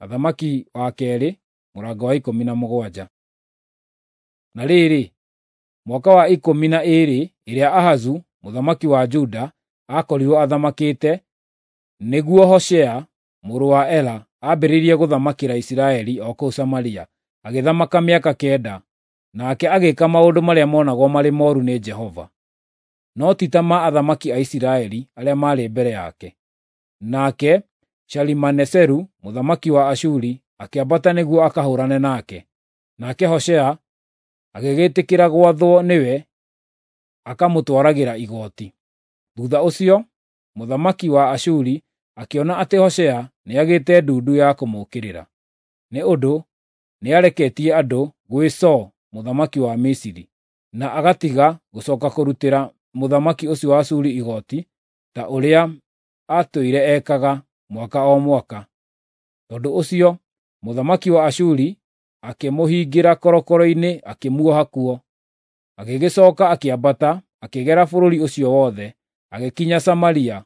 Athamaki wa kerĩ mũrango wa 17. Na rĩrĩ, mwaka wa 12 ĩrĩa Ahazu mũthamaki wa Juda aakorirwo athamakĩte, nĩguo Hoshea mũrũ wa Ela ambĩrĩirie gũthamakĩra Isiraeli o kũu Samaria, agĩthamaka mĩaka 9. Nake agĩĩka maũndũ marĩa monagwo marĩ mooru nĩ Jehova, no ti ta ma athamaki a Isiraeli arĩa maarĩ mbere yake. Nake Shalimaneseru mũthamaki wa Ashuri akĩambata nĩguo akahũũrane nake. Nake Hoshea agĩgĩtĩkĩra gwathwo nĩwe akamũtwaragĩra igooti. Thuutha ũcio mũthamaki wa Ashuri akĩona atĩ Hoshea nĩagĩte ndundu ya kũmũũkĩrĩra, nĩ ũndũ nĩareketie andũ gwĩ So mũthamaki wa Misiri, na agatiga gũcooka kũrutĩra mũthamaki ũcio wa Ashuri igooti ta ũrĩa aatũire ekaga mwaka o mwaka. Tondũ ũcio mũthamaki wa Ashuri akĩmũhingĩra korokoro-inĩ akĩmuoha kuo. Agĩgĩcooka akĩambata akĩgera bũrũri ũcio wothe, agĩkinya Samaria,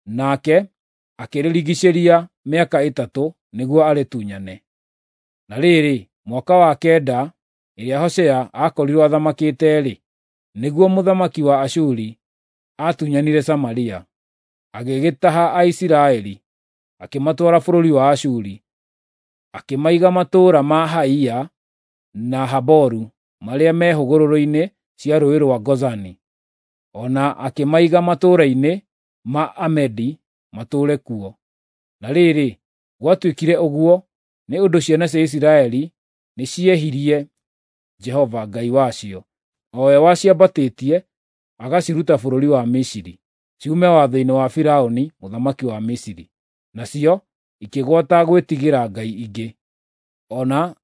nake akĩrĩrigiicĩria mĩaka 3 nĩguo arĩtunyane. Na rĩrĩ, mwaka wa 9 ĩrĩa Hoshea aakorirwo athamakĩte-rĩ, nĩguo mũthamaki wa Ashuri aatunyanire Samaria, agĩgĩtaha Aisiraeli, akĩmatwara bũrũri wa Ashuri, akĩmaiga matũũra ma Haia na Haboru marĩa me hũgũrũrũ-inĩ cia rũũĩ rwa Gozani, o na akĩmaiga matũũra-inĩ ma Amedi matũũre kuo. Na rĩrĩ, gwatuĩkire ũguo nĩ ũndũ ciana cia Isiraeli nĩciehirie Jehova Ngai wacio, o we waciambatĩtie agaciruta bũrũri wa Misiri, ciume watho-inĩ wa Firaũni mũthamaki wa Misiri. Nacio ikĩgwata gwĩtigĩra ngai ingĩ, o na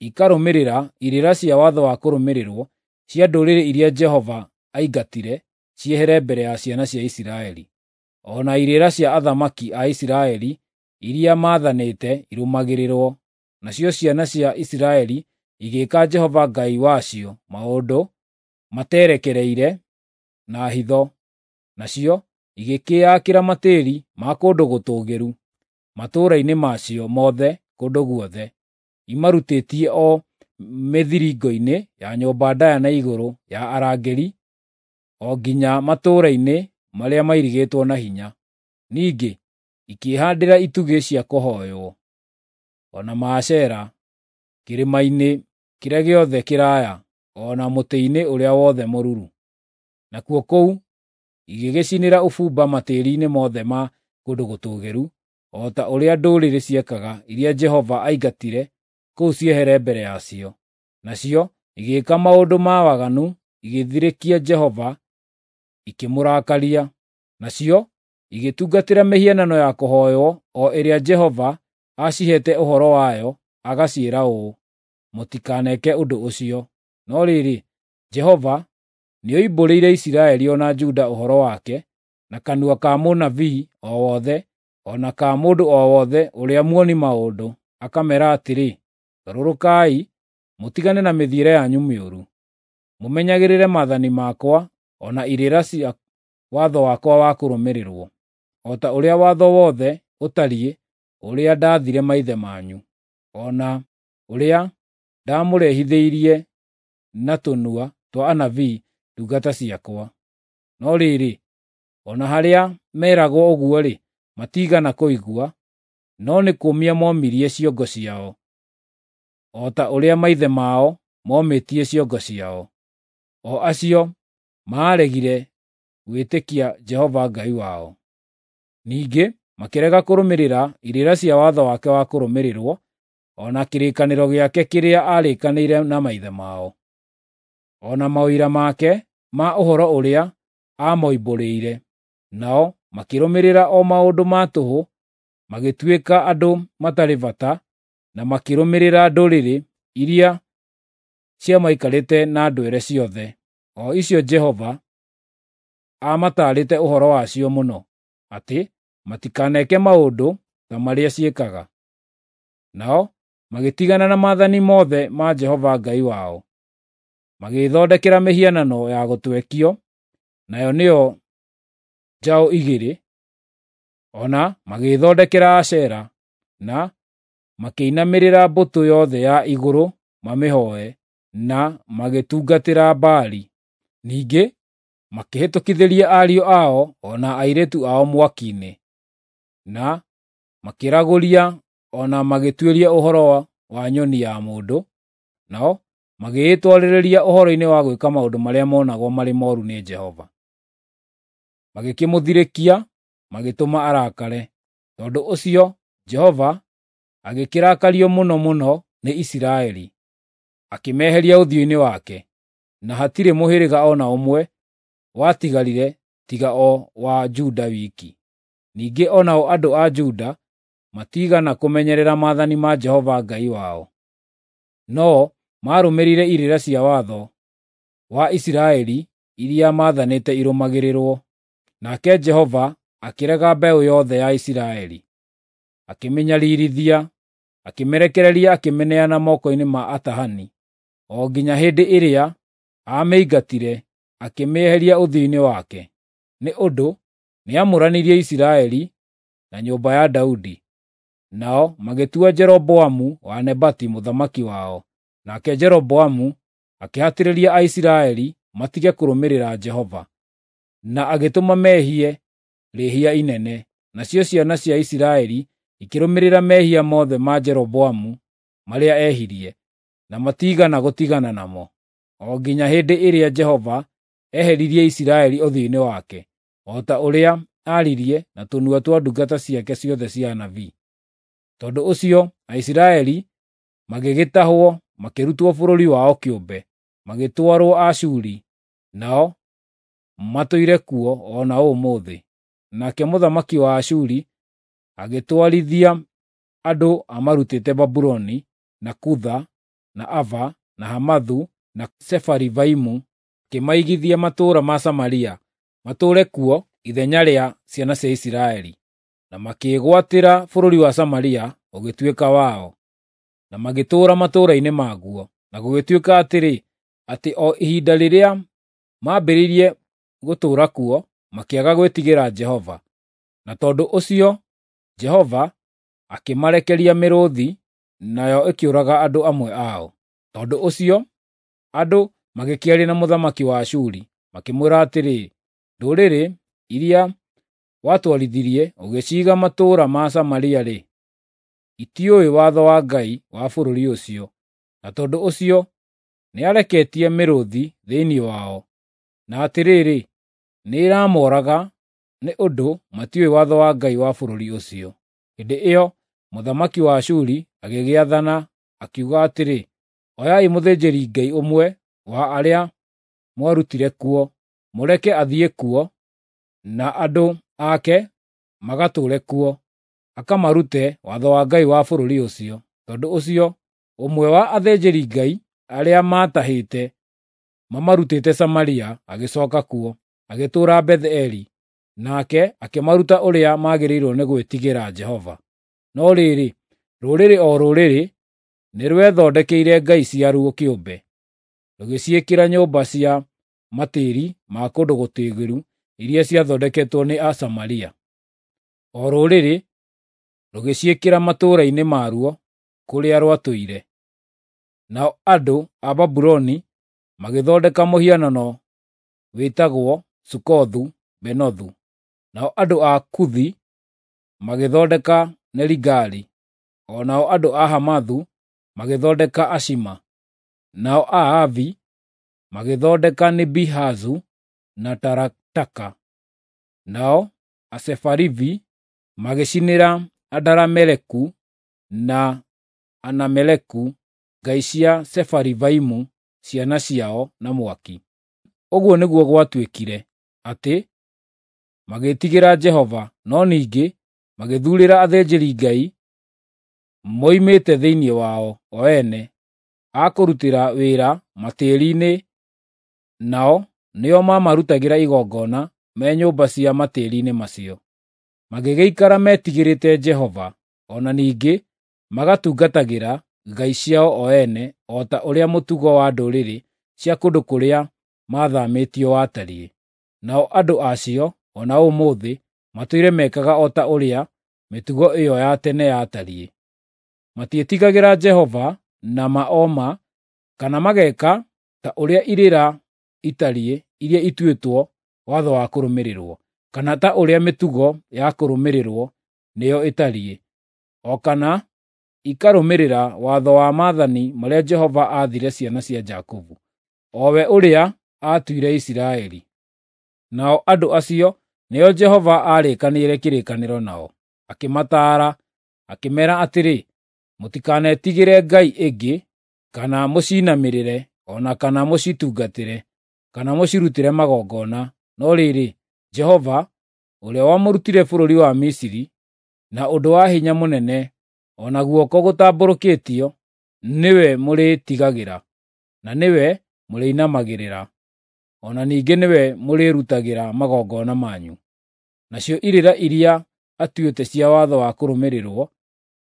ikarũmĩrĩra irĩra cia watho wa kũrũmĩrĩrwo cia ndũrĩrĩ iria Jehova aingatire ciehere mbere ya ciana cia Isiraeli, o na irĩra cia athamaki a Isiraeli iria maathanĩte irũmagĩrĩrwo. Nacio ciana cia Isiraeli igĩĩka Jehova Ngai wacio maũndũ materekereire na hitho, nacio igĩkĩĩakĩra matĩĩri ma kũndũ gũtũũgĩru matũũra-inĩ macio mothe kũndũ guothe, imarutĩtie o mĩthiringo-inĩ ya nyũmba ndaaya na igũrũ ya arangĩri o nginya matũũra-inĩ marĩa mairigĩtwo na hinya. Ningĩ ikĩĩhaandĩra itugĩ cia kũhooywo, o na Maashera kĩrĩma-inĩ kĩrĩa gĩothe kĩraaya, o na mũtĩ-inĩ ũrĩa wothe mũruru. Nakuo kũu igĩgĩcinĩra ũbumba matĩĩri-inĩ mothe ma kũndũ gũtũũgĩru, o ta ũrĩa ndũrĩrĩ ciekaga iria Jehova aingatire kũu ciehere mbere yacio. Nacio igĩĩka maũndũ ma waganu, igĩthirĩkia Jehova, ikĩmũrakaria. Nacio igĩtungatĩra mĩhianano ya kũhooywo o ĩrĩa Jehova aaciheete ũhoro wayo agaciĩra ũũ, “Mũtikaneke ũndũ ũcio.” No rĩrĩ, Jehova nĩoimbũrĩire Isiraeli o na Juda ũhoro wake na kanua ka mũnabii o wothe o na ka mũndũ o wothe ũrĩa muoni maũndũ, akameera atĩrĩ, “Garũrũkai, mũtigane na mĩthiĩre yanyu mĩũru, mũmenyagĩrĩre maathani makwa o na irĩra cia watho wakwa wa kũrũmĩrĩrwo, o ta ũrĩa watho wothe ũtariĩ ũrĩa ndaathire maithe manyu, o na ũrĩa ndamũrehithĩirie na tũnua twa anabii ndungata ciakwa.” No rĩrĩ, o na harĩa meeragwo ũguo-rĩ, matiigana kũigua, no nĩ kũũmia momirie ciongo ciao, o ta ũrĩa maithe mao momĩtie ciongo ciao, o acio maaregire gwĩtĩkia Jehova Ngai wao. Ningĩ makĩrega kũrũmĩrĩra irĩra cia watho wake wa kũrũmĩrĩrwo, o na kĩrĩkanĩro gĩake kĩrĩa aarĩkanĩire na maithe mao, o na maũira make ma ũhoro ũrĩa aamoimbũrĩire. Nao makĩrũmĩrĩra o maũndũ ma tũhũ, magĩtuĩka andũ matarĩ bata, na makĩrũmĩrĩra ndũrĩrĩ iria ciamaikarĩte na ndwere ciothe, o icio Jehova aamataarĩte ũhoro wacio mũno, atĩ matikaneke maũndũ ta marĩa ciĩkaga. Nao magĩtigana na maathani mothe ma Jehova Ngai wao, magĩĩthondekera mĩhianano ya gũtwekio, nayo nĩyo njaũ 2, o na magĩĩthondekera Ashera, na Makĩinamĩrĩra mbũtũ yothe ya igũrũ mamĩhooe, na magĩtungatĩra Baali. Ningĩ makĩhĩtũkithĩria ariũ ao o na airĩtu ao mwaki-inĩ, na makĩragũria o na magĩtuĩria ũhoro wa nyoni ya mũndũ, nao magĩĩtwarĩrĩria ũhoro-inĩ wa gwĩka maũndũ marĩa monagwo marĩ mooru nĩ Jehova. Magĩkĩmũthirĩkia, magĩtũma arakare. Tondũ ũcio Jehova agĩkĩrakario mũno mũno nĩ Isiraeli, akĩmeheria ũthiũ-inĩ wake, na hatirĩ mũhĩrĩga o na ũmwe watigarire tiga o wa Juda wiki. Ningĩ o nao andũ a Juda matiigana kũmenyerera maathani ma Jehova Ngai wao, no maarũmĩrĩire irĩra cia watho wa Isiraeli iria maathanĩte irũmagĩrĩrwo. Nake Jehova akĩrega mbeũ yothe ya Isiraeli, akĩmĩnyariirithia, akĩmĩrekereria akĩmĩneana moko-inĩ ma atahani, o nginya hĩndĩ ĩrĩa aamĩingatire akĩmĩeheria ũthiũ-inĩ wake, nĩ ũndũ nĩamũranirie Isiraeli na nyũmba ya Daudi. Nao magĩtua Jeroboamu wa Nebati mũthamaki wao. Nake Jeroboamu akĩhatĩrĩria Aisiraeli matige kũrũmĩrĩra Jehova, na agĩtũma mehie rĩĩhia inene. Nacio ciana cia Isiraeli ikĩrũmĩrĩra mehia mothe ma Jeroboamu marĩa ehirie, na matiigana gũtigana namo, o nginya hĩndĩ ĩrĩa Jehova eheririe Isiraeli ũthiũ-inĩ wake, o ta ũrĩa aaririe na tũnua twa ndungata ciake ciothe cia anabii. Tondũ ũcio Aisiraeli magĩgĩtahwo makĩrutwo bũrũri wao kĩũmbe, magĩtwarwo Ashuri, nao matũire kuo o na ũmũthĩ. Nake mũthamaki wa Ashuri agĩtwarithia andũ amarutĩte Babuloni, na Kutha, na Ava, na Hamathu, na Sefarivaimu, akĩmaigithia matũũra ma Samaria, matũũre kuo ithenya rĩa ciana cia Isiraeli. Na makĩĩgwatĩra bũrũri wa Samaria ũgĩtuĩka wao, na magĩtũũra matũũra-inĩ maguo. Na gũgĩtuĩka atĩrĩ, atĩ o ihinda rĩrĩa maambĩrĩirie gũtũũra kuo, makĩaga gwĩtigĩra Jehova. Na tondũ ũcio Jehova akĩmarekeria mĩrũũthi, nayo ĩkĩũraga andũ amwe ao. Tondũ ũcio andũ magĩkĩaria na mũthamaki wa Ashuri, makĩmwĩra atĩrĩ, “Ndũrĩrĩ iria watwarithirie ũgĩciiga matũũra ma Samaria-rĩ, itiũĩ watho wa Ngai wa bũrũri ũcio, na tondũ ũcio nĩareketie mĩrũũthi thĩinĩ wao. Na atĩrĩrĩ, nĩĩramooraga nĩ ũndũ matiũĩ watho wa Ngai wa bũrũri ũcio.” Hĩndĩ ĩyo mũthamaki wa Ashuri agĩgĩathana, akiuga atĩrĩ, “Oyai mũthĩnjĩri-Ngai ũmwe wa arĩa mwarutire kuo, mũreke athiĩ kuo, na andũ ake magatũũre kuo, akamarute watho wa Ngai wa bũrũri ũcio.” Tondũ ũcio ũmwe wa athĩnjĩri-Ngai arĩa maatahĩte mamarutĩte Samaria agĩcooka kuo, agĩtũũra Betheli, nake akĩmaruta ũrĩa magĩrĩirwo nĩ gwĩtigĩra Jehova. No rĩrĩ, rũrĩrĩ o rũrĩrĩ nĩ rwethondekeire ngai ciaruo kĩũmbe, rũgĩciĩkĩra nyũmba cia matĩĩri ma kũndũ gũtũũgĩru iria ciathondeketwo nĩ Asamaria. O rũrĩrĩ rũgĩciĩkĩra matũũra-inĩ maruo kũrĩa rwatũire. Nao andũ a Babuloni magĩthondeka mũhianano wĩtagwo Sukothu-Benothu. Nao andũ a Kuthi magĩthondeka Nerigali, o nao andũ a Hamathu magĩthondeka Ashima, nao Aavi magĩthondeka Nibihazu na Tarataka, nao Asefarivi magĩcinĩra Adarameleku na Anameleku ngai cia Sefarivaimu ciana ciao na mwaki. Ũguo nĩguo gwatuĩkire, atĩ magĩĩtigĩra Jehova, no ningĩ magĩthuurĩra athĩnjĩri-Ngai moimĩte thĩinĩ wao o ene a kũrutĩra wĩra matĩĩri-inĩ, nao nĩo maamarutagĩra igongona me nyũmba cia matĩĩri-inĩ macio. Magĩgĩikara metigĩrĩte Jehova, o na ningĩ magatungatagĩra ngai ciao o ene o ta ũrĩa mũtugo wa ndũrĩrĩ cia kũndũ kũrĩa maathaamĩtio watariĩ. Nao andũ acio o na ũmũthĩ matũire mekaga o ta ũrĩa mĩtugo ĩyo ya tene yatariĩ. Matiĩtigagĩra Jehova na ma o ma, kana mageka ta ũrĩa irĩra itariĩ iria ituĩtwo watho wa kũrũmĩrĩrwo, kana ta ũrĩa mĩtugo ya kũrũmĩrĩrwo nĩyo ĩtariĩ, o kana ikarũmĩrĩra watho wa maathani marĩa Jehova aathire ciana cia Jakubu, o we ũrĩa aatuire Isiraeli. Nao andũ acio nĩo Jehova aarĩkanĩire kĩrĩkanĩro nao, akĩmataara, akĩmeera atĩrĩ, “Mũtikanetigĩre ngai ĩngĩ, kana mũciinamĩrĩre, o na kana mũcitungatĩre, kana mũcirutĩre magongona. No rĩrĩ, Jehova, ũrĩa wamũrutire bũrũri wa Misiri na ũndũ wa hinya mũnene, o na guoko gũtambũrũkĩtio, nĩwe mũrĩĩtigagĩra, na nĩwe mũrĩinamagĩrĩra, o na ningĩ nĩwe mũrĩrutagĩra magongona manyu. Nacio irĩra iria atuĩte cia watho wa kũrũmĩrĩrwo,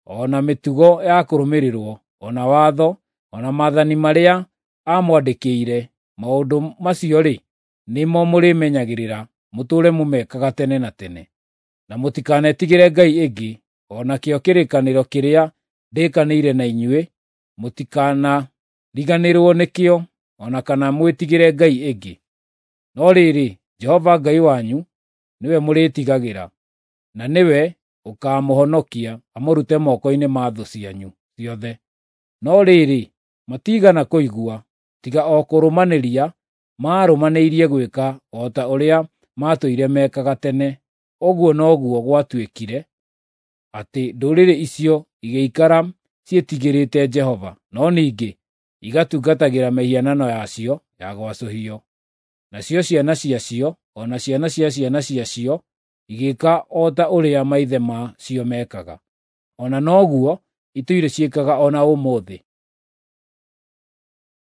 o na mĩtugo ya kũrũmĩrĩrwo, o na watho, o na maathani marĩa aamwandĩkĩire, maũndũ macio-rĩ, nĩmo mũrĩmenyagĩrĩra mũtũũre mũmekaga tene na tene. Na mũtikanetigĩre ngai ĩngĩ, o nakĩo kĩrĩkanĩro kĩrĩa ndĩkanĩire na inyuĩ, mũtikanariganĩrwo nĩkĩo, o na kana mwĩtigĩre ngai ĩngĩ. No rĩrĩ, Jehova Ngai wanyu nĩwe mũrĩĩtigagĩra, na nĩwe ũkaamũhonokia amũrute moko-inĩ ma thũ cianyu ciothe. No rĩrĩ, matiigana kũigua, tiga o kũrũmanĩria maarũmanĩirie gwĩka o ta ũrĩa maatũire mekaga tene. Ũguo noguo gwatuĩkire, atĩ ndũrĩrĩ icio igĩikara ciĩtigĩrĩte Jehova, no ningĩ igatungatagĩra mĩhianano yacio ya gwacũhio. Nacio ciana ciacio, o na ciana cia ciana ciacio igĩĩka o ta ũrĩa maithe ma cio meekaga. O na noguo itũire ciĩkaga o na ũmũthĩ.